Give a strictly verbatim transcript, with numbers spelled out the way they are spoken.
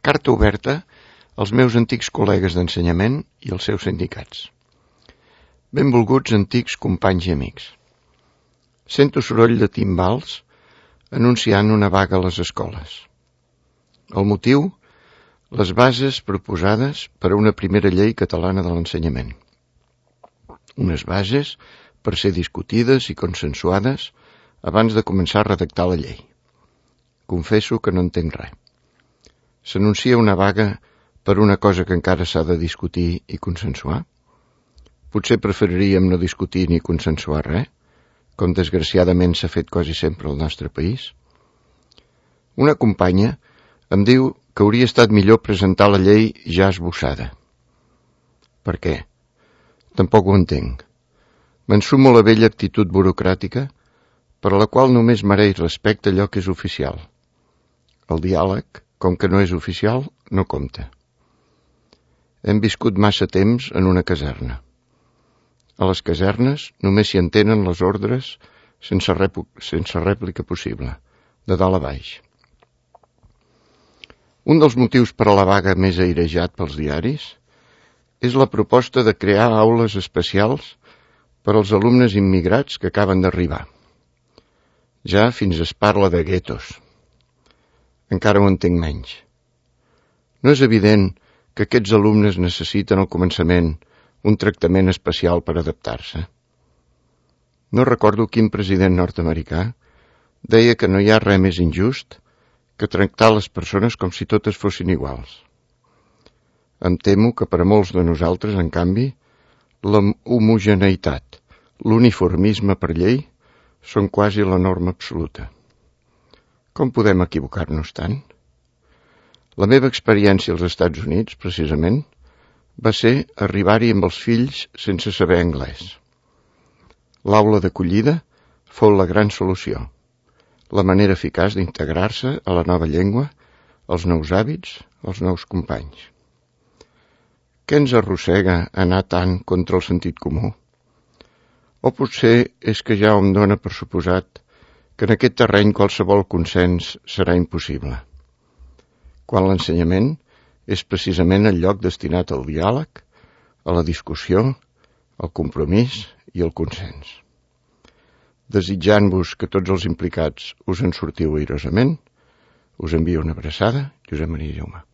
Carta oberta als meus antics col·legues d'ensenyament i als seus sindicats. Benvolguts antics companys i amics. Sento soroll de timbals anunciant una vaga a les escoles. El motiu? Les bases proposades per a una primera llei catalana de l'ensenyament. Unes bases per ser discutides i consensuades abans de començar a redactar la llei. Confesso que no entenc res. S'anuncia una vaga per una cosa que encara s'ha de discutir i consensuar? Potser preferiríem no discutir ni consensuar res, com desgraciadament s'ha fet quasi sempre al nostre país? Una companya em diu que hauria estat millor presentar la llei ja esbossada. Per què? Tampoc ho entenc. M'ensumo la vella actitud burocràtica per a la qual només mereix respecte allò que és oficial. El diàleg, com que no és oficial, no compta. Hem viscut massa temps en una caserna. A les casernes només s'hi entenen les ordres sense, rèplica, sense rèplica possible, de dalt a baix. Un dels motius per a la vaga més airejat pels diaris és la proposta de crear aules especials per als alumnes immigrats que acaben d'arribar. Ja fins es parla de guetos. Encara ho entenc menys. No és evident que aquests alumnes necessiten al començament un tractament especial per adaptar-se. No recordo quin president nord-americà deia que no hi ha res més injust que tractar les persones com si totes fossin iguals. Em temo que per a molts de nosaltres, en canvi, la homogeneïtat, l'uniformisme per llei, són quasi la norma absoluta. Com podem equivocar-nos tant? La meva experiència als Estats Units, precisament, va ser arribar-hi amb els fills sense saber anglès. L'aula d'acollida fou la gran solució, la manera eficaç d'integrar-se a la nova llengua, als nous hàbits, als nous companys. Què ens arrossega anar tant contra el sentit comú? O potser és que ja em dóna per suposat que en aquest terreny qualsevol consens serà impossible, quan l'ensenyament és precisament el lloc destinat al diàleg, a la discussió, al compromís i al consens. Desitjant-vos que tots els implicats us en sortiu airosament, us envio una abraçada, Josep Maria Jaume.